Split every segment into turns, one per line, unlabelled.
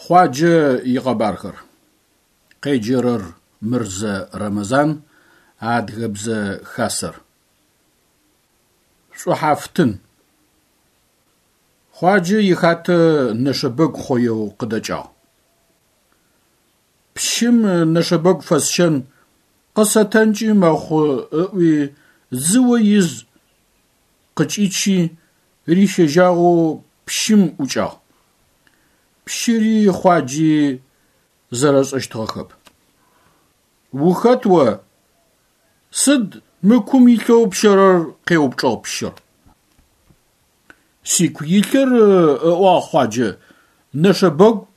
Хъуаджэ икъэбархэр. Къеджэрэр Мырзэ Рэмэзан, Адыгэбзэ Хасэр. Шӏухьафтын. Хъуаджэ ихатэ нэшэбэгу хъоеу къыдэкӏагъ. Пщым нэшэбэгу фэсщэн, къысэтэнкӏи мэхъу ыӏуи дзыо из къыкӏичи рищэжьагъэу пщым ӏукӏагъ. Пщыри Хъуаджи зэрэшӏэщтыгъэхэп. Ухэт о? Сыд мы кум илъэу пщэрэр? – къеупчӏыгъ пщыр. Сику илъыр, ыӏуагъ Хъуаджэ, нэшэбэгу,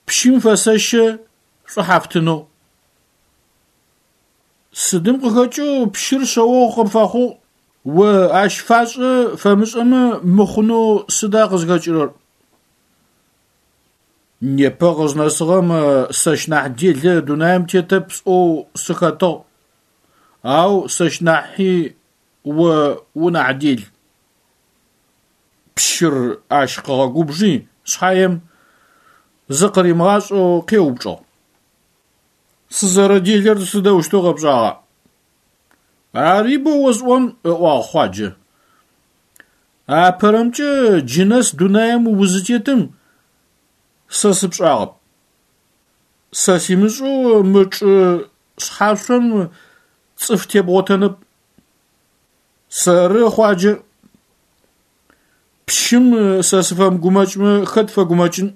пщым фэсэщэ шӏухьафтынэу. Сыдым къыхэкӏэу пщыр шъэогъу къыпфэхъугъ, о ащ фашӏэ фэмышӏэмэ мыхъунэу сыда къызхэкӏырэр? Непэ къызнэсыгъэм сэщ нахь делэ дунаим тетэп сӏоу сыхэтыгъ, ау сэщ нахьи о унахь дел. Пщыр ащ къыгъэгубжи шъхьаем, зыкъыримыгъашӏэу къеупчӏыгъ: Сызэрэделэр сыдэущтэу къэпшӏагъа? Ари боу осӏон, ыӏуагъ Хъуаджэ. Апэрэмкӏэ джы нэс дунаим узытетым сэ сыпшӏагъэп. Сэ симышӏэу мы чӏы шъхьашъом цӏыф тебгъотэнэп. Сэры, Хъуаджэ. Пщым сэ сыфэмыгумэкӏмэ хэт фэгумэкӏын?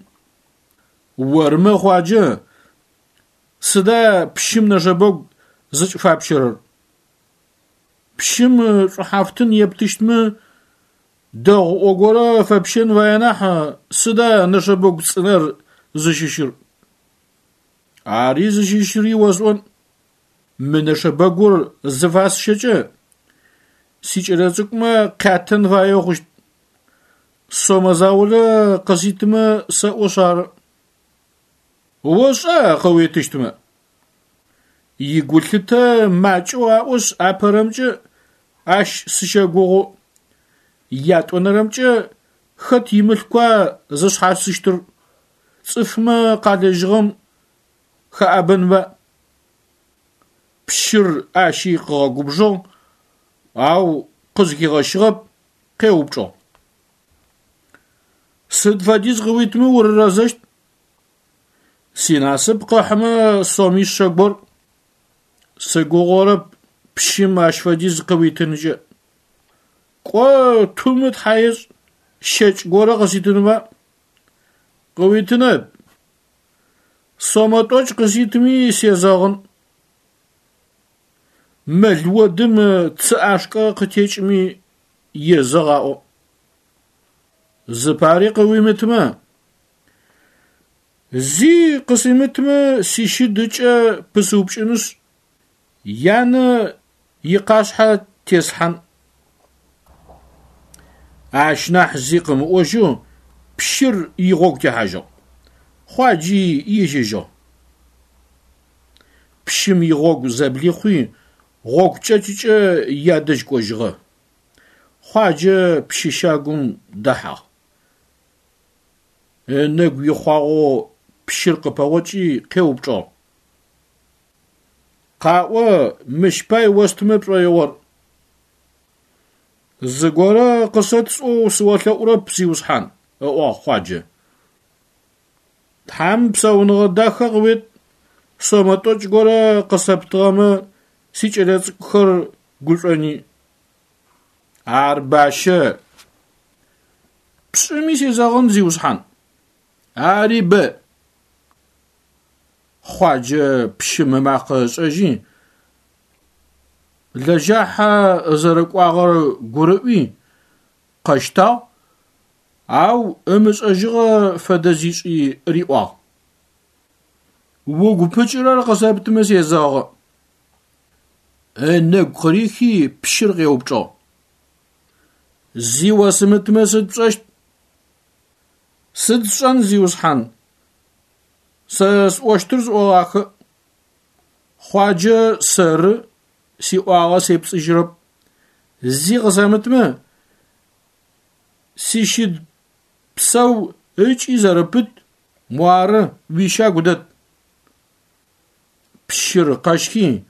Ормэ, Хъуаджэ, сыда пщым нэшэбэгу зыкӏыфапщэрэр? Пщым шӏухьафтын ептыщтмэ, дэгъуӏо горэ фэпщэн фае нахь, сыда нэшэбэгу цӏынэр зыщыщыр? Ари зыщыщыри осӏон. Мы нэшэбэгур зыфасщэкӏэ, сикӏэлэцӏыкӏумэ къятэн фаеу хъущт. Сомэ заулэ къыситымэ сэӏошъ ары. Ошӏа къыуитыщтмэ? Игулъытэ макӏэу аӏошъ апэрэмкӏэ ащ сыщэгугъы, ятӏонэрэмкӏэ хэт имылъкуа зышъхьасыщтыр, цӏыфмэ къалэжьыгъэм хэӏэбэнба. Пщыр ащи къыгъэгубжыгъ, ау къызхигъэщыгъэп, къеупчӏыгъ: Сыд фэдиз къыуитымэ урырэзэщт? Синасып къыхьымэ сомишъэ гор. Сыгугъэрэп пщым ащ фэдиз къыуитынкӏэ. Кӏо, тумы тхьа ешӏ, щэкӏ горэ къыситынба? Къыуитынэп. Сомэ тӏокӏ къыситми сезэгъын. Мэл одым цы ӏашкӏэ къытекӏми езэгъ аӏо. Зыпари къыуимытымэ? Зи къысимытымэ сищыд ыкӏэ пысыупкӏынышъ, янэ икъашъхьэ теслъхьан. Ащ нахь зи къымыӏожьэу пщыр игъогу техьажьыгъ. Хъуаджи ежьэжьыгъ. Пщым игъогу зэблихъуи, гъогу кӏэкӏыкӏэ ядэжь кӏожьыгъэ. Хъуаджэ пщы щагум дэхьагъ. Ынэгу ихъуагъэу пщыр къыпэгъокӏи къеупчӏыгъ: Къаӏо, мыщ пай остымэ пшӏоигъор? Зыгорэ къысэт сӏоу сыолъэӏурэп, зиусхьан, ыӏуагъ Хъуаджэ. Тхьам псауныгъэ дахэ къыует, сомэ тӏокӏ горэ къысэптыгъэмэ, сикӏэлэцӏыкӏухэр гушӏони. Ар бащэ. Пшӏыми сезэгъын, зиусхьан. Ари бэ. Хъуаджэ пщым ымакъэ ышӏэжьи, лэжьахьэ зэрэкӏуагъэр гурыӏуи, къэщтагъ, ау ымышӏэжьыгъэ фэдэ зишӏи риӏуагъ: Угу пыкӏырэр къысэптымэ сезэгъы. Ынэгу къырихи пщыр къеупчӏыгъ: Зи осымытымэ сыд пшӏэщт? Сыд сшӏэн, зиусхьан, сэ сӏощтыр сӏогъахэ. Хъуаджэ сэры, сиӏуагъэ сепцӏыжьырэп. Зи къысэмытымэ, сищыд псэу ыкӏи зэрэпыт. Муары, уищагу дэт. Пщыр къэщхи,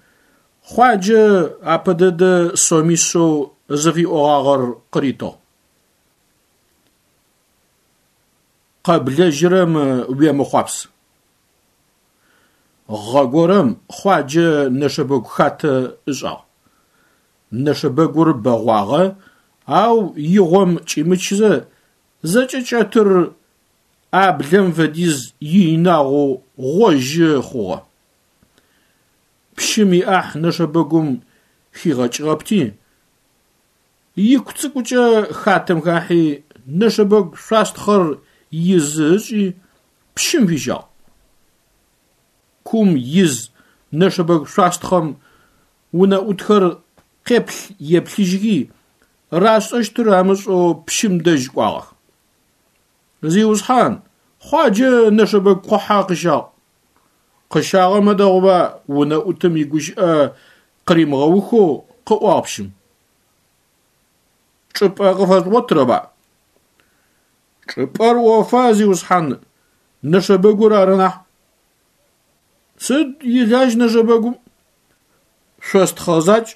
Хъуаджэ апэ дэдэ сомишъэу зыфиӏогъагъэр къыритыгъ. Къэблэжьырэм уемыхъуапс. Гъэ горэм Хъуаджэ нэшэбэгу хатэ ышӏагъ. Нэшэбэгур бэгъуагъэ, ау игъом кӏимычзэ, зэкӏэ кӏэтыр ӏаблэм фэдиз иинагъэу гъожьы хъугъэ. Пщым иӏахь нэшэбэгум хигъэкӏыгъэпти, ику цӏыкӏукӏэ хатэм хахьи, нэшэбэгу шъуастхъэр изы ышӏи, пщым фищагъ. Кум из нэшэбэгу шъуастхъэм унэӏутхэр къеплъ-еплъыжьхи, рашӏэщтыр амышӏэу пщым дэжь кӏуагъэх. Зиусхьан, Хъуаджэ нэшэбэгу кухьэ къыщагъ. Къыщагъэмэ дэгъуба, унэӏутым игущыӏэ къыримыгъэухэу къыӏуагъ пщым. Чӏыпӏэ къыфэжъугъотырэба? Чӏыпӏэр ӏофа, зиусхьан, нэшэбэгур ары нахь. Сыд илажь нэшэбэгум? Шъостхъэ закӏ,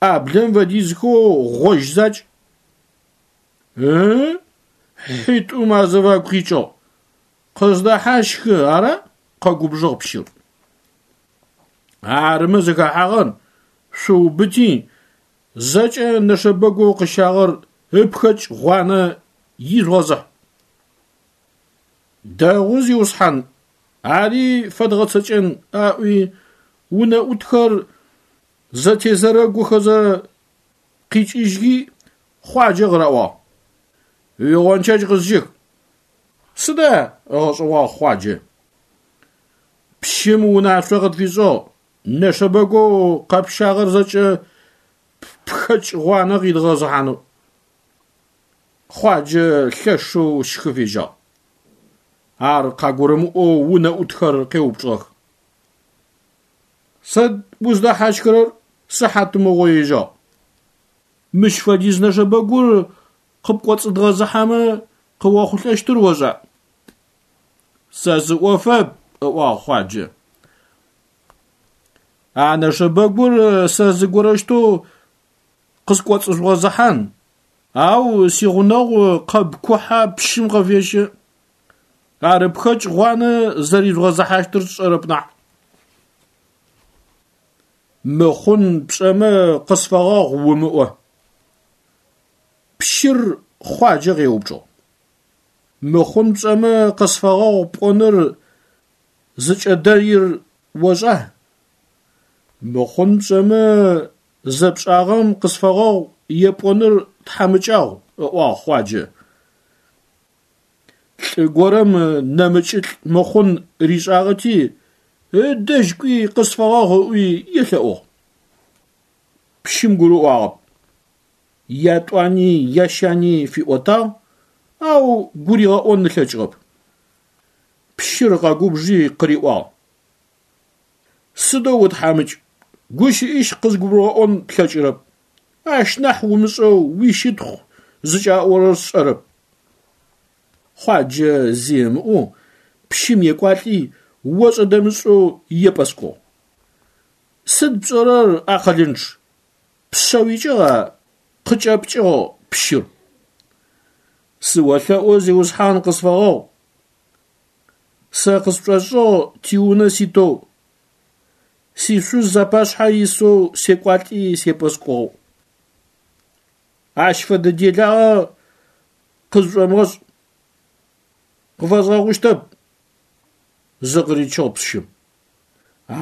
ӏаблэм фэдизхэу гъожь закӏ. Ы-ы, хьитӏум азыфагу къикӏыгъ. Къыздэхьащхы, ара? Къэгубжыгъ пщыр. Арымэ зыхэхьагъэр, шъуубыти, зэкӏэ нэшэбэгоу къыщагъэр ыпхэкӏ гъуанэ ижъугъэзыхь. Дэгъу, зиусхьан, ари фэдгъэцэкӏэн, аӏуи, унэӏутхэр зэтезэрэгохэзэ къикӏыжьхи, Хъуаджэ къыраӏуагъ. Уигъончэдж къызщых. Сыда? Ыгъэшӏэгъуагъ Хъуаджэ. Пщым унашъо къытфишӏыгъ, нэшэбэгоу къэпщагъэр зэкӏэ ппхэкӏ гъуанэ къидгъэзыхьанэу. Хъуаджэ лъэшэу щхы фежьагъ. Ар къагурымыӏоу унэӏутхэр къеупчӏыгъэх. Сыд уздэхьащхырэр? Сыхьатмыгъо ежьагъ. Мыщ фэдиз нэшэбэгур къыпкӏоцӏыдгъэзыхьэмэ къыохъулӏэщтыр ошӏа? Сэ сыӏофэп, ыӏуагъ Хъуаджэ. А нэшэбэгур сэ зыгорэущтэу къыскӏоцӏыжъугъэзыхьан, ау сигъунэгъу къэб кухьэ пщым къыфещэ. Ар ыпхэкӏ гъуанэ зэрижъугъэзыхьащтыр сшӏэрэп нахь. Мыхъун пшӏэмэ къысфэгъэгъу умыӏо. Пщыр Хъуаджэ къеупчӏыгъ. Мыхъун пшӏэмэ къысфэгъэгъу пӏоныр зыкӏэдэир ошӏа? Мыхъун пшӏэмэ зэпшӏагъэм къысфэгъэгъу епӏоныр тхьамыкӏагъу, ыӏуагъ Хъуаджэ. Лӏы горэм нэмыкӏылӏ мыхъун ришӏагъэти, ыдэжь кӏуи къысфэгъэгъу ыӏуи елъэӏугъ. Пщым гурыӏуагъэп. Ятӏуани ящани фиӏотагъ, ау гуригъэӏон ылъэкӏыгъэп. Пщыр къэгубжи къыриӏуагъ. Сыдэу утхьамыкӏ, гущыӏищ къызгурыбгъэӏон плъэкӏырэп. Ащ нахь умышӏэу уищытхъу зыкӏаӏорэр сшӏэрэп. Хъуаджэ зи ымыӏоу пщым екӏуалӏи ошӏэ-дэмышӏэу епӏэскӏугъ. Сыд пшӏэрэр, акъылынчъ, пшъэ уикӏыгъа? Къыкӏэпкӏыгъ пщыр. Сыолъэӏу, зиусхьан, къысфэгъэгъу. Сэ къысшӏошӏыгъ тиунэ ситэу, сишъуз апашъхьэ исэу секӏуалӏи сепӏэскӏугъэу. Ащ фэдэ делагъэ къызшӏомыгъэшӏ, къыфэзгъэгъущтэп, зыкъыричыгъ пщым.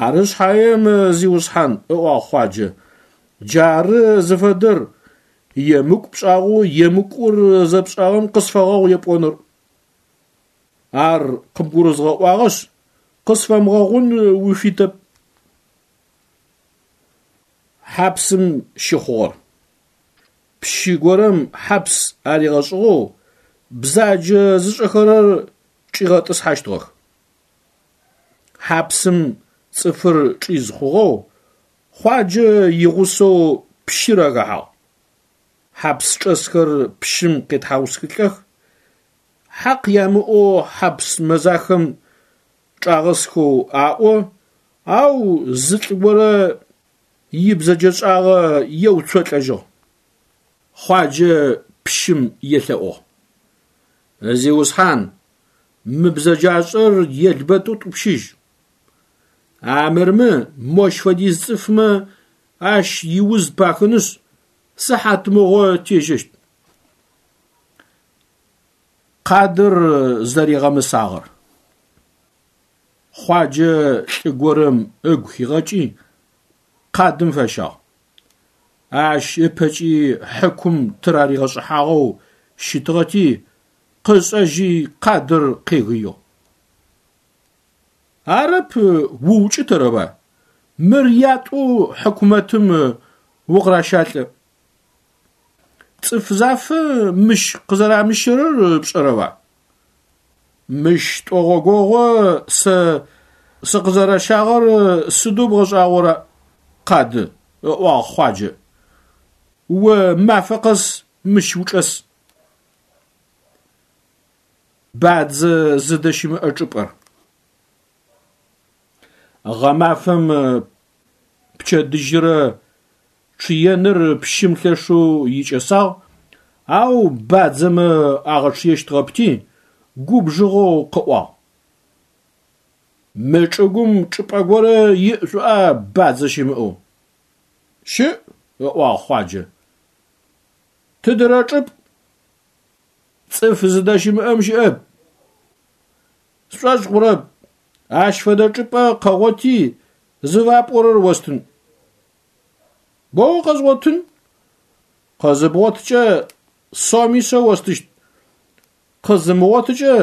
Ары шъхьаем, зиусхьан, ыӏуагъ Хъуаджэ, джары зыфэдэр, емыкӏу пшӏагъэу емыкӏур зэпшӏагъэм къысфэгъэгъу епӏоныр. Ар къыбгурызгъэӏуагъэшъ, къысфэмыгъэгъун уфитэп. Хьапсым щыхъугъэр. Пщы горэм хьапс аригъэшӏыгъэу бзаджэ зышӏэхэрэр чӏигъэтӏысхьэщтыгъэх. Хьапсым цӏыфыр чӏиз хъугъэу Хъуаджэ игъусэу пщыр ахэхьагъ. Хьапс чӏэсхэр пщым къетхьаусхылӏэх. Хьакъ ямыӏэу хьапс мэзахэм чӏагъэсхэу аӏо, ау зы лӏы горэ ибзэджэшӏагъэ еуцолӏэжьыгъ. Хъуаджэ пщым елъэӏугъ: Зиусхьан, мы бзэджашӏэр елбэт утӏупщыжь. Армырмэ, мощ фэдиз цӏыфмэ ащ иуз пахынышъ, сыхьатмыгъо тежьэщт. Къадыр зэригъэмысагъэр. Хъуаджэ лӏы горэм ыгу хигъэкӏи, къадым фащагъ. Ащ ыпэкӏи хьыкум тыраригъэшӏыхьагъэу щытыгъэти, къышӏэжьи къадыр къегыигъ. Арэп уукӏытэрэба? Мыр ятӏэу хьыкумэтым укъыращалӏэ. Цӏыф зафэ мыщ къызэрамыщэрэр пшӏэрэба? Мыщ тӏогъогогъо сэ сыкъызэращагъэр сыдэу бгъэшӏагъора, къады, ыӏуагъ Хъуаджэ. О мафэ къэс мыщ учӏэс. Бадзэ зыдэщымыӏэ чӏыпӏэр. Гъэмафэм пчэдыжьрэ чъыеныр пщым лъэшэу икӏэсагъ, ау бадзэмэ агъэчъыещтыгъэпти, губжыгъэу къыӏуагъ: Мы чӏыгум чӏыпӏэ горэ иӏ шӏуӏа бадзэ щымыӏэу? Щыӏ, ыӏуагъ Хъуаджэ. Тыдырэ чӏыпӏ? Цӏыф зыдэщымыӏэм щыӏэп. Сшӏошъ хъурэп, ащ фэдэ чӏыпӏэ къэгъоти, зыфапӏорэр остын. Боу къэзгъотын. Къызыбгъоткӏэ сомишъэ остыщт, къызымыгъотыкӏэ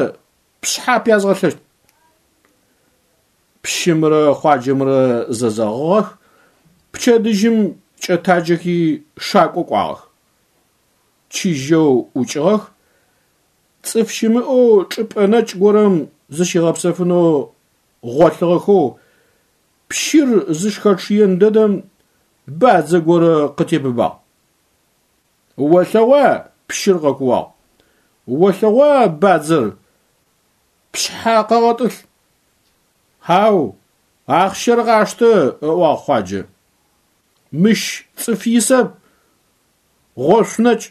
пшъхьэ пязгъэлъэщт. Пщымрэ Хъуаджэмрэ зэзэгъыгъэх, пчэдыжьым кӏэтаджэхи шакӏо кӏуагъэх. Чыжьэу ӏукӏыгъэх, цӏыф щымыӏэу чӏыпӏэ нэкӏ горэм зыщигъэпсэфынэу гъолъыгъэхэу пщыр зыщхэчъыен дэдэм бадзэ горэ къытебыбагъ. Олъэгъуа, пщыр къэкууагъ. Олъэгъуа бадзэр, пшъхьэ къэгъэтӏылъ. Хьау, ахъщэр къаштэ, ыӏуагъ Хъуаджэ. Мыщ цӏыф исэп, гъошъу нэкӏ.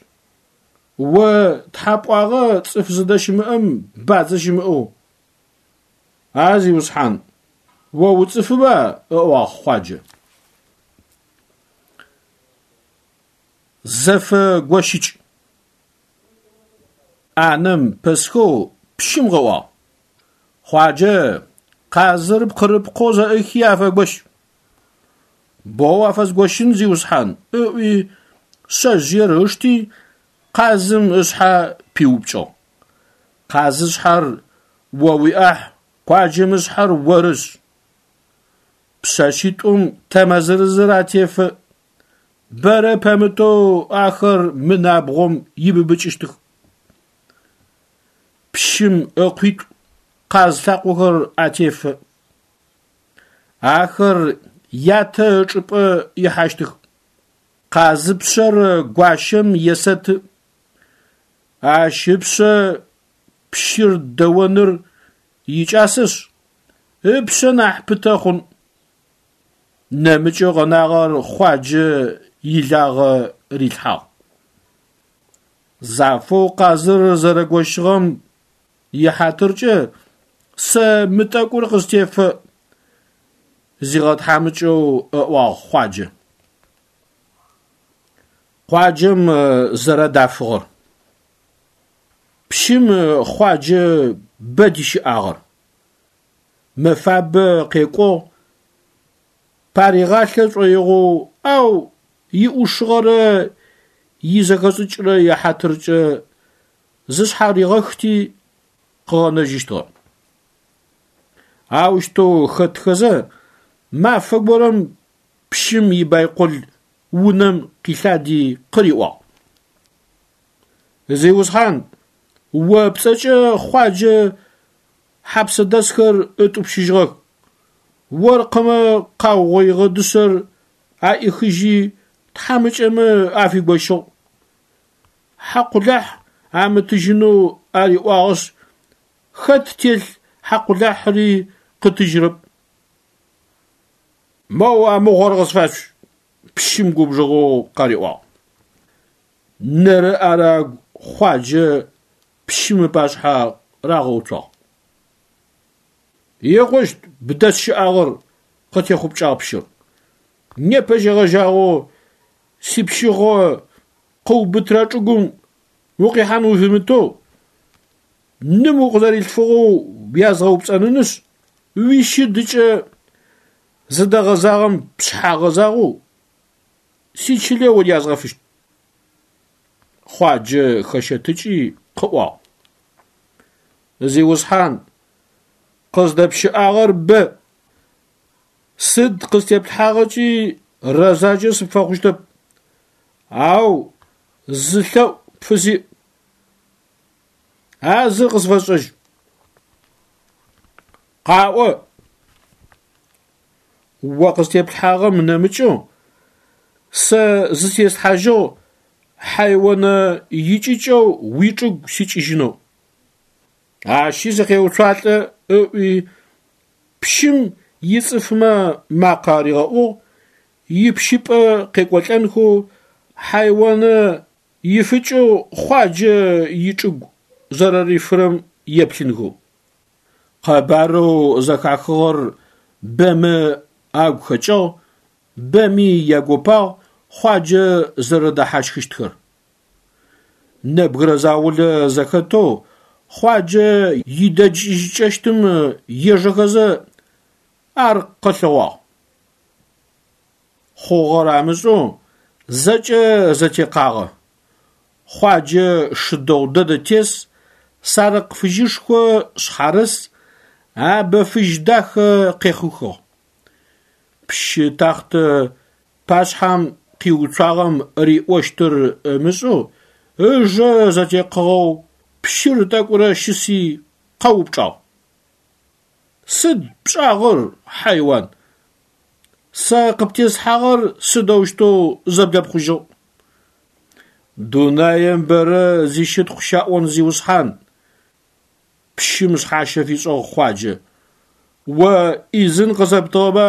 О тхьа пӏуагъэ цӏыф зыдэщымыӏэм бадзэ щымыӏэу. А зиусхьан, о уцӏыфыба, ыӏуагъ Хъуаджэ. Зэфэ гощыкӏ. ӏанэм пэсхэу пщым къыӏуагъ: Хъуаджэ, къазыр пкъырыпкъэу зэӏыхи афэгощ. Боу афэзгощын, зиусхьан, ыӏуи шъэжъыер ышти, къазым ышъхьэ пиупкӏыгъ. Къазышъхьэр о уиӏахь, къуаджэм ышъхьэр орышъ. Пшъэшъитӏум тэмэ зырызыр атефэ. Бэрэ пэмытэу ахэр мы набгъом ибыбыкӏыщтых. Пщым ыкъуитӏу къаз лъакъохэр атефэ. Ахэр ятэ ычӏыпӏэ ихьащтых. Къазыпшъэр гуащэм есэты. Ащ ыпшъэ пщыр дэоныр икӏасэшъ, ыпшъэ нахь пытэ хъун. Нэмыкӏэу къэнагъэр Хъуаджэ илагъэ рилъхьагъ. Зафэу къазыр зэрэгощыгъэм ихьатыркӏэ сэ мы тӏэкӏур къыстефэ, зигъэтхьамыкӏэу ыӏуагъ Хъуаджэ. Къуаджэм зэрэдафыгъэр. Пщым Хъуаджэ бэ дищыӏагъэр. Мэфабэ къекӏугъ, паригъалъэ шӏоигъоу, ау иӏушыгъэрэ изэхэшӏыкӏрэ яхьатыркӏэ зышъхьаригъэхти къыгъэнэжьыщтыгъэ. Аущтэу хэтхэзэ, мафэ горэм пщым ибайкол унэм къилъади къыриӏуагъ: Зиусхьан, о пцӏэкӏэ Хъуаджэ хьапсэдэсхэр ытӏупщыжьыгъэх. Оркъымэ къаугъоигъэ дышъэр аӏихыжьи тхьамыкӏэмэ афигощыгъ. Хьакъулахь амытыжьынэу ариӏуагъэшъ. Хэт телъ хьакъулахьыри къытыжьырэп. Моу а мыгъор къысфашъущ, пщым губжыгъэу къариӏуагъ. Нэрэ-ӏэрэ агу Хъуаджэ пщым ыпашъхьэ рагъэуцуагъ. Икъущт бдэсщыӏагъэр, къытехъупкӏагъ пщыр. Непэ щегъэжьагъэу сипщыгъо къыубытырэ чӏыгум укъихьан уфимытэу, ным укъызэрилъфыгъэу уязгъэупцӏэнынышъ, уищыдыкӏэ зыдэгъэзагъэм пшъхьэ гъэзагъэу сичылэ урязгъэфыщт. Хъуаджэ хэщэтыкӏи къыӏуагъ: Зиусхьан, къыздэпщыӏагъэр бэ. Сыд къыстеплъхьагъэкӏи рэзакӏэ сыпфэхъущтэп, ау зы лъэӏу пфысиӏ. А зыр къысфэшӏэжь. Къаӏо, о къыстеплъхьагъэм нэмыкӏэу сэ зытеслъхьажьыгъ хьайонэ икӏыкӏэу уичӏыгу сикӏыжьынэу. Ащи сыкъеуцуалӏэ ыӏуи, пщым ицӏыфмэ макъэ аригъэӏугъ, ипщыпӏэ къекӏолӏэнхэу хьайонэ ифыкӏэу Хъуаджэ ичӏыгу зэрэрифырэм еплъынхэу. Къэбарэу зэхахыгъэр бэмэ агу хэкӏыгъ, бэми ягопагъ Хъуаджэ зэрэдэхьащхыщтхэр. Нэбгырэ заулэ зэхэтэу Хъуаджэ идэкӏыжьыкӏэщтым ежэхэзэ ар къэлъэгъуагъ. Хъугъэр амышӏэу зэкӏэ зэтекъагъэ. Хъуаджэ шы дэгъу дэдэ тес, сарыкъ фыжьышхо шъхьарыс, абэ фыжь дахэ къехъухыгъ. Пщы тахътэ пашъхьэм къиуцуагъэм риӏощтыр ымышӏэу, ыжэ зэтекъыгъэу пщыр тӏэкӏурэ щыси къэупчӏагъ: Сыд пшӏагъэр, хьайуан? Сэ къыптеслъхьагъэр сыдэущтэу зэблэпхъужьыгъ? Дунаем бэрэ зищытхъу щаӏон зиусхьан, пщым шъхьащэ фишӏыгъ Хъуаджэ. О ӏизын къысэптыгъэба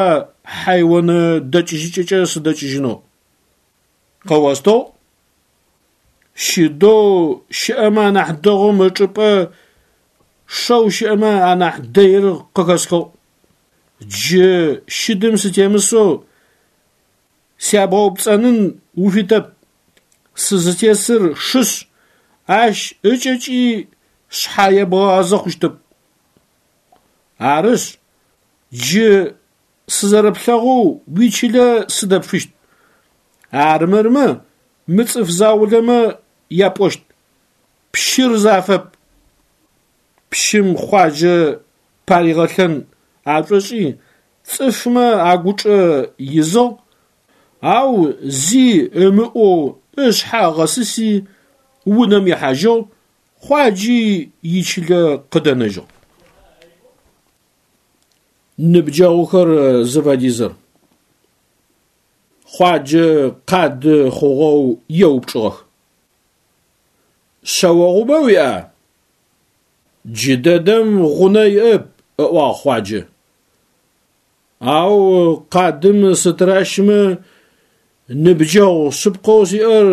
хьайонэ дэкӏыжьыкӏэкӏэ сыдэкӏыжьынэу? Къэостыгъ. Щыдэу щыӏэмэ анахь дэгъум ычӏыпӏэ шэу щыӏэмэ анахь дэир къыхэсхыгъ. Джы щыдым сытемысэу сябгъэупцӏэнын уфитэп. Сызытесыр шышъ, ащ ыкӏэкӏи шъхьэ ебгъэгъазэ хъущтэп. Арышъ, джы сызэрэплъэгъоу уичылэ сыдэпфыщт. Армырмэ, мы цӏыф заулэмэ япӏощт: Пщыр зафэп. Пщым Хъуаджэ паригъэлъэн ашӏошӏи, цӏыфмэ агучӏэ изыгъ, ау зи ымыӏоу ышъхьэ ыгъэсыси унэм ихьажьыгъ, Хъуаджи ичылэ къыдэнэжьыгъ. Ныбджэгъухэр зыфэдизыр. Хъуаджэ къады хъугъэу еупчӏыгъэх. Шъэогъубэ уиӏа? Джыдэдэм гъунэ иӏэп, ыӏуагъ Хъуаджэ. Ау къадым сытыращымэ, ныбджэгъу шъыпкъэу сиӏэр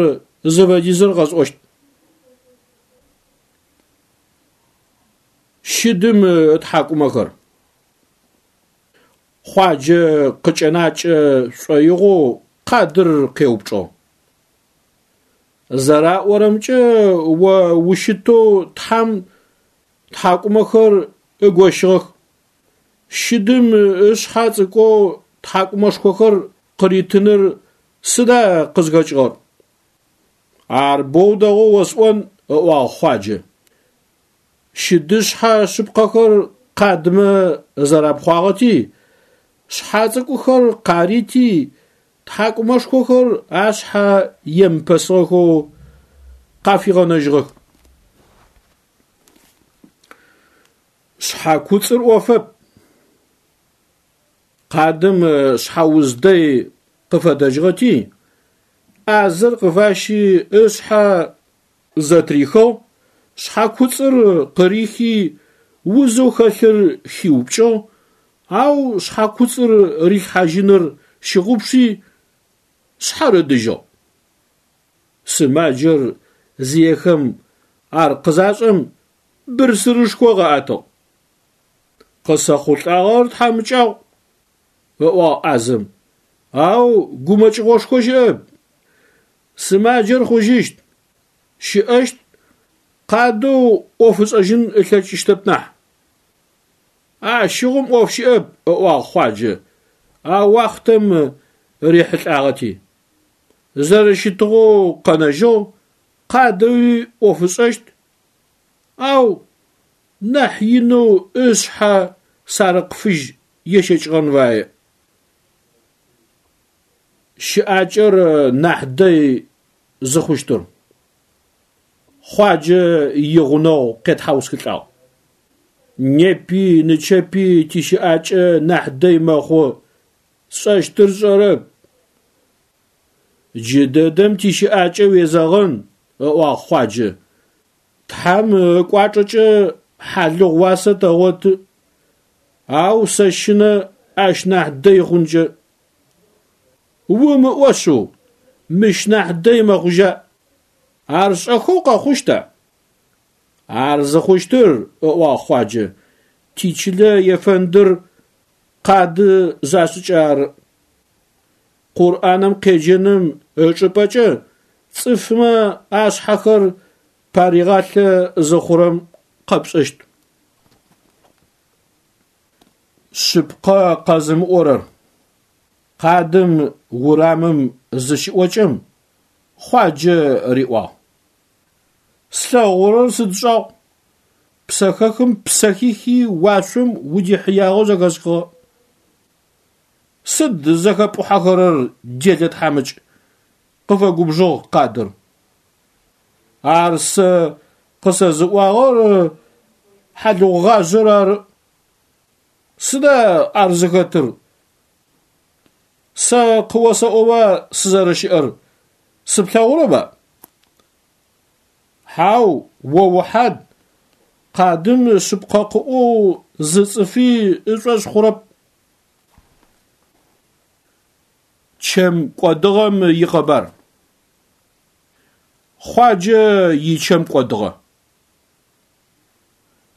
зыфэдизыр къэсӏощт. Щыдым ытхьакӏумэхэр. Хъуаджэ къыкӏэнакӏэ шӏоигъоу къадыр къеупчӏыгъ. Зэраӏорэмкӏэ, о ущытэу Тхьэм тхьакӏумэхэр ыгощыгъэх. Щыдым ышъхьэ цӏыкӏоу тхьакӏумэшхохэр къыритыныр сыда къызхэкӏыгъэр? Ар боу дэгъоу осӏон, ыӏуагъ Хъуаджэ. Щыдышъхьэ шъыпкъэхэр къадмэ зэрапхъуагъэти, шъхьэ цӏыкӏухэр къарити, тхьакӏумэшхохэр ашъхьэ емыпэсыгъэхэу къафигъэнэжьыгъэх. Шъхьэкуцӏыр ӏофэп. Къадым шъхьэуз дэй къыфэдэжьыгъэти, ӏазэр къыфащи ышъхьэ зэтрихыгъ, шъхьэкуцӏыр къырихи узэу хэлъыр хиупкӏыгъ, ау шъхьэкуцӏыр рилъхьажьыныр щыгъупши, шъхьэр ыдыжьыгъ. Сымаджэр зиехэм ар къызашӏэм, бырсырышхо къаӏэтыгъ. Къысэхъулӏагъэр тхьамыкӏагъу, ыӏуагъ ӏазэм, ау гумэкӏыгъошхо щыӏэп. Сымаджэр хъужьыщт, щыӏэщт, къадэу ӏоф ышӏэжьын ылъэкӏыщтэп нахь. Ащыгъум ӏоф щыӏэп, ыӏуагъ Хъуаджэ, а уахътэм рихьылӏагъэти. Зэрэщытыгъэу къэнэжьыгъ, къадэуи ӏоф ышӏэщт, ау нахь инэу ышъхьэ сарыкъ фыжь ещэкӏыгъэн фае. Щыӏакӏэр нахь дэй зыхъущтыр. Хъуаджэ игъунэгъу къетхьаусхылӏагъ. Непи нычэпи тищыӏакӏэ нахь дэй мэхъу, сшӏэщтыр сшӏэрэп. Джыдэдэм тищыӏакӏэ уезэгъын, ыӏуагъ Хъуаджэ. Тхьэм ыкӏуачӏэкӏэ хьалыгъу уасэ тэгъоты, ау сэщынэ ащ нахь дэй хъункӏэ. Умыӏо шъыу, мыщ нахь дэй мэхъужьа? Ар шӏэхэу къэхъущта? Ар зыхъущтыр, ыӏуагъ Хъуаджэ, тичылэ ефэндыр къады зашӏыкӏэ ары. Къурӏаным къеджэным ычӏыпӏэкӏэ цӏыфмэ ашъхьэхэр паригъалъэ зыхъурэм къэпшӏэщт. Шъыпкъэ къэзымыӏорэр. Къадым урамым зыщыӏокӏэм, Хъуаджэ риӏуагъ. Слъэгъурэр сыд шӏагъу? Псэхэхым ппсэ хихи уашъом удихьыягъэу зэхэсхыгъэ. Сыд зэхэпӏухьэхэрэр, делэ тхьамыкӏ? къыфэгубжыгъ къадыр. Ар сэ къысэзыӏуагъэр хьалыгъугъажъэр ары. Сыда ар зыхэтыр? Сэ къыосэӏоба сызэрэщыӏэр, сыплъэгъурэба? Хьау, о ухьад, къадым шъыпкъэ къыӏоу зы цӏыфи ышӏошъ хъурэп. Чэм кӏодыгъэм икъэбар. Хъуаджэ ичэм кӏодыгъэ.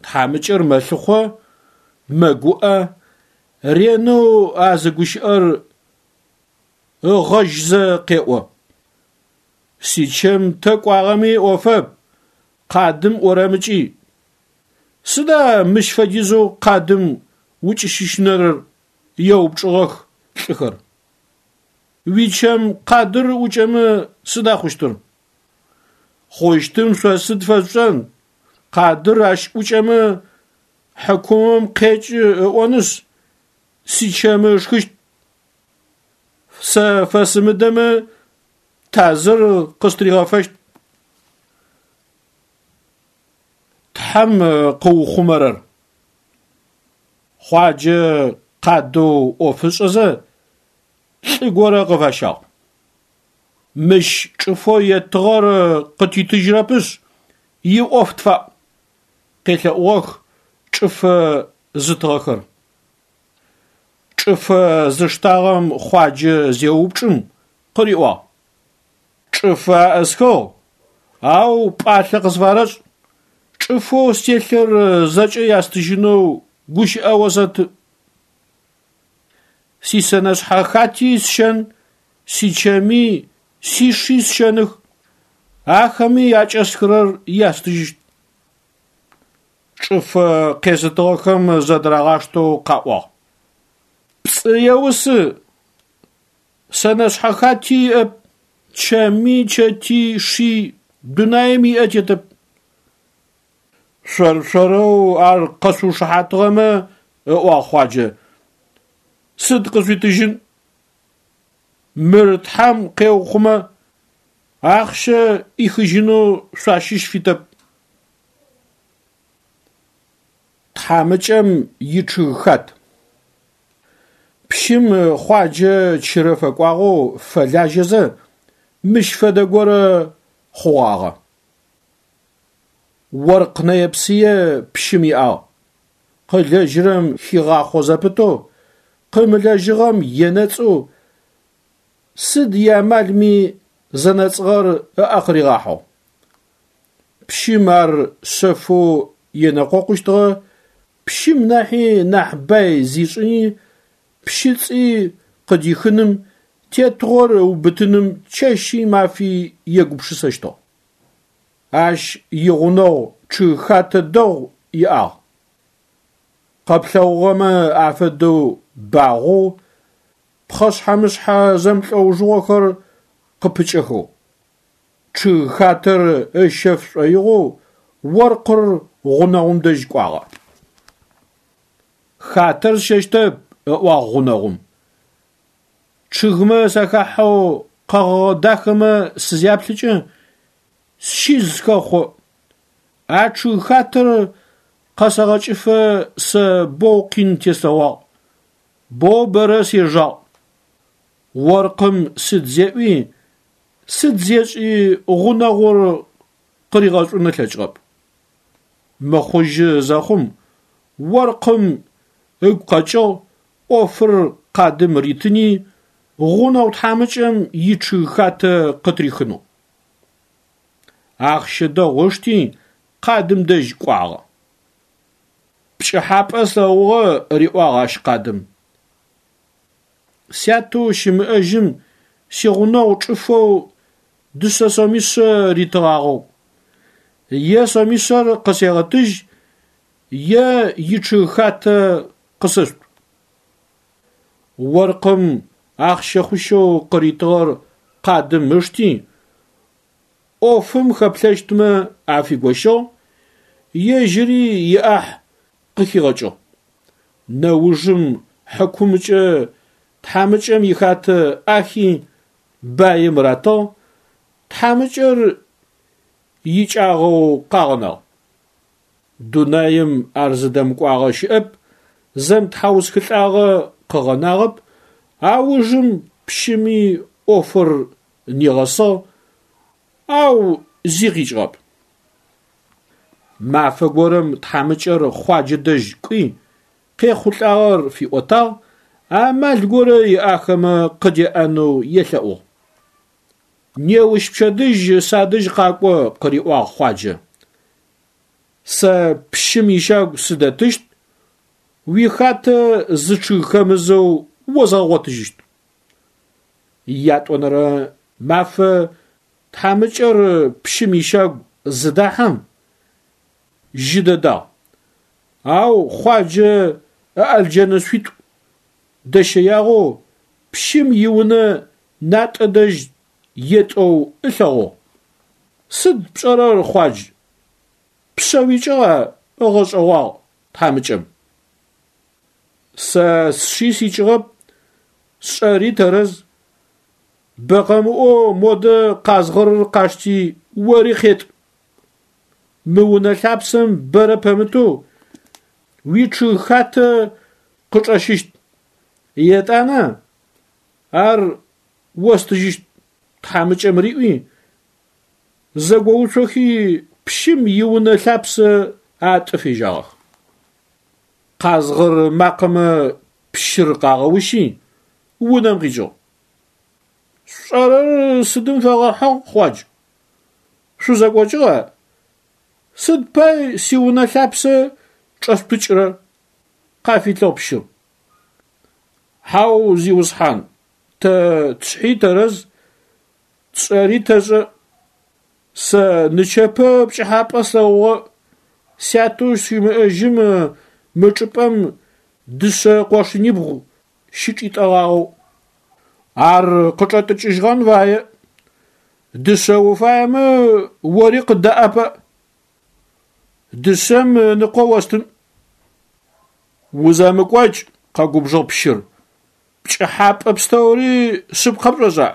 Тхьамыкӏэр мэлъыхъо, мэгуӏэ, ренэу а зы гущыӏэр ыгъэжьзэ къеӏо. Сичэм тэ кӏуагъэми ӏофэп, къадым ӏорэмыкӏи. Сыда мыщ фэдизэу къадым укӏыщыщынэрэр? еупчӏыгъэх лӏыхэр. Уичэм къадыр ӏукӏэмэ сыда хъущтыр? Хъущтым шъо сыд фэшъушӏэн, къадыр ащ ӏукӏэмэ хьыкумым къекӏы ыӏонышъ, сичэмы ышхыщт. Сэ фэсымыдэмэ тазыр къыстыригъэфэщт. Тхьэм къыухъумэрэр. Хъуаджэ къадэу ӏоф ышӏэзэ, лӏы горэ къыфащагъ. Мыщ чӏыфэу еттыгъэр къытитыжьырэпышъ, иӏоф тфаӏу, къелъэӏугъэх чӏыфэ зытыгъэхэр. Чӏыфэ зыштагъэм Хъуаджэ зеупчӏым, къыриӏуагъ. Чӏыфэ аӏысхыгъ, ау пӏалъэ къысфарэшӏ. Чӏыфэу стелъыр зэкӏэ ястыжьынэу гущыӏэ осэты. Сисэнэшъхьэ хати сщэн, сичэми, сиши сщэных, ахэми акӏэсхырэр ястыжьыщт. Чӏыфэ къезытыгъэхэм зэдырагъаштэу къаӏуагъ. Пцӏы еусы! Сэнэшъхьэ хати иӏэп, чэми, чэти, ши дунаим иӏэ тетэп. Шъор-шъорэу ар къэшъуушыхьатыгъэмэ, ыӏуагъ Хъуаджэ, сыд къышъуитыжьын? Мыр Тхьэм къеухъумэ, ахъщэ ӏихыжьынэу шъуащыщ фитэп. Тхьамыкӏэм ичъыг хат. Пщым Хъуаджэ чырэ фэкӏуагъэу фэлажьэзэ, мыщ фэдэ горэ хъугъагъэ. Оркъ нэе-псые пщым иӏагъ. Къылэжьырэм хигъахъо зэпытэу, къымылэжьыгъэм енэцӏэу, сыд иамалми зэнэцӏыгъэр ыӏэ къыригъахьэу. Пщым ар шъэфэу енэкъокъущтыгъэ, пщым нахьи нахь бай зишӏыни, пщыцӏи къыдихыным, тетыгъор ыубытыным чэщи мафи егупшысэщтыгъ. Ащ игъунэгъу чъыгхатэ дэгъу иӏагъ. Къэплъэгъугъэмэ афэдэу багъоу, пхъэшъхьэ-мышъхьэ зэмлӏэужыгъохэр къыпыкӏэхэу. Чъыгхатэр ыщэф шӏоигъоу оркъыр гъунэгъум дэжь кӏуагъэ. Хатэр сщэщтэп, ыӏуагъ гъунэгъум. Чъыгмэ сахахьэу къэгъэгъэ дахэмэ сызяплъыкӏэ, сщиз хэхъо. А чъыгхатэр къэсэгъэкӏыфэ сэ боу къин теслъэгъуагъ, боу бэрэ сежагъ. Оркъым сыд зеӏуи, сыд зешӏи гъунэгъур къыригъэшӏун ылъэкӏыгъэп. Мыхъужьы зэхъум, оркъым ыгу къэкӏыгъ ӏофыр къадым ритыни, гъунэгъу тхьамыкӏэм ичъыгхатэ къытырихынэу. Ахъщэ дэгъу ышти, къадым дэжь кӏуагъэ. Пкӏыхьапӏэ слъэгъугъэ, риӏуагъ ащ къадым. Сятэу щымыӏэжьым сигъунэгъу чӏыфэу дышъэ сомишъэ ритыгъагъэу. Е сомишъэр къысегъэтыжь, е ичъыгхатэ къысэшъут. Оркъым ахъщэ хъущэу къыритыгъэр къадым ышти, ӏофым хэплъэщтмэ афигощыгъ, ежьыри иӏахь къыхигъэкӏыгъ. Нэужым хьыкумкӏэ тхьамыкӏэм ихатэ ӏахи баим ратыгъ, тхьамыкӏэр икӏагъэу къагъэнагъ. Дунаим ар зыдэмыкӏуагъэ щыӏэп, зэмытхьаусхылӏагъэ къыгъэнагъэп, аужым пщыми ӏофыр нигъэсыгъ, ау зи къикӏыгъэп. Мафэ горэм тхьамыкӏэр Хъуаджэ дэжь кӏуи, къехъулӏагъэр фиӏотагъ, амал горэ иӏахэмэ къыдеӏэнэу елъэӏугъ. Неущ пчэдыжь садэжь къакӏо, къыриӏуагъ Хъуаджэ. Сэ пщым ищагу сыдэтыщт, уихатэ зы чъыг хэмызэу озгъэгъотыжьыщт. Ятӏонэрэ мафэ тхьамыкӏэр пщым ищагу зыдахьэм, жьы дэдагъ. Ау Хъуаджэ ыӏэлджэнышъуитӏу дэщэягъэу пщым иунэ натӏэ дэжь етӏэу ылъэгъугъ. Сыд пшӏэрэр, Хъуадж? Пшъэ уикӏыгъа? ыгъэшӏэгъуагъ тхьамыкӏэм. Сэ сшъи сикӏыгъэп, сшӏэри тэрэз. Бэ къэмыӏоу модэ къазгъырыр къашти ори къетӏ. Мы унэ лъапсэм бэрэ пэмытэу уичъыгхатэ къычӏэщыщт. Етӏанэ ар остыжьыщт, тхьамыкӏэм риӏуи, зэгоуцохи пщым иунэ лъапсэ атӏы фежьагъэх. Къазгъыр макъэмэ пщыр къагъэущи, унэм къикӏыгъ. Шъушӏэрэр сыдым фэгъэхьыгъ, Хъуадж? Шъузэкӏокӏыгъа? Сыд пай сиунэ лъапсэ чӏэшъутӏыкӏырэр? Къафилъыгъ пщыр. Хьау, зиусхьан, тэ тшъхьи тэрэз, тшӏэри тэшӏэ. Сэ нычэпэ пкӏыхьапӏэ слъэгъугъэ, сятэу щымыӏэжьым мы чӏыпӏэм дышъэ къошынибгъу щычӏитӏэгъагъэу. Ар къычӏэтӏыкӏыжьыгъэн фае. Дышъэ уфаемэ ори къыддэӏэпыӏ. Дышъэм ыныкъо остын. Узэмыкӏокӏ, къэгубжыгъ пщыр. Пкӏыхьапӏэ пстэури шъыпкъэ пшӏошӏа?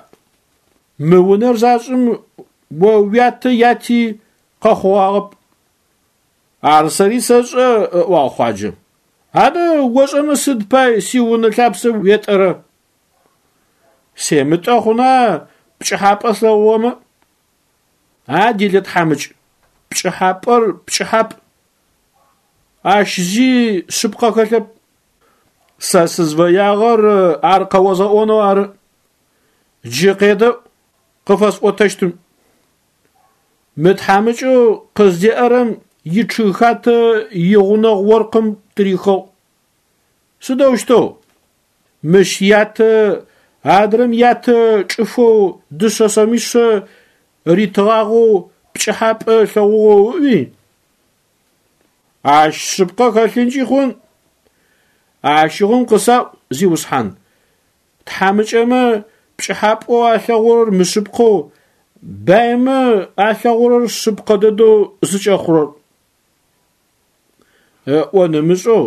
Мы унэр зашӏым о уятэ яти къэхъугъагъэп. Ар сэри сэшӏэ, ыӏуагъ Хъуаджэ. Адэ ошӏэмэ сыд пай сиунэ лъапсэ уетӏэрэ? Семытӏэ хъуна пкӏыхьапӏэ слъэгъугъэмэ? А делэ тхьамыкӏ, пкӏыхьапӏэр пкӏыхьапӏ. Ащ зи шъыпкъэ хэлъэп. Сэ сызфэягъэр ар къэозгъэӏонэу ары. Джы къедэӏу къыфэсӏотэщтым. Мы тхьамыкӏэу къыздеӏэрэм ичъыгхатэ игъунэгъу оркъым тырихыгъ. Сыдэущтэу? Мыщ ятэ адрэм ятэ чӏыфэу дышъэ сомишъэ ритыгъагъэу пкӏыхьапӏэ ылъэгъугъэу ыӏуи. Ащ шъыпкъэ хэлъынкӏи хъун. Ащыгъум къысаӏу, зиусхьан, тхьамыкӏэмэ пкӏыхьапӏэу алъэгъурэр мышъыпкъэу, баймэ алъэгъурэр шъыпкъэ дэдэу зыкӏэхъурэр. Ыӏон ымышӏэу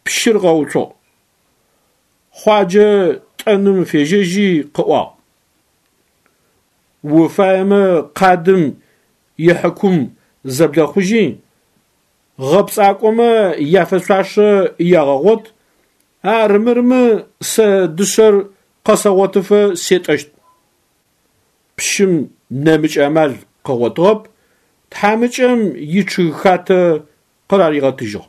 пщыр къэуцугъ. Хъуаджэ тӏэным фежьэжьи къыӏуагъ: Уфаемэ къадым ихьыкум зэблэхъужьи, гъэпцӏакӏомэ яфэшъуашэ ягъэгъот, армырмэ сэ дышъэр къэсэгъотыфэ сетӏэщт. Пщым нэмыкӏ амал къыгъотыгъэп, тхьамыкӏэм ичъыгхатэ къыраригъэтыжьыгъ.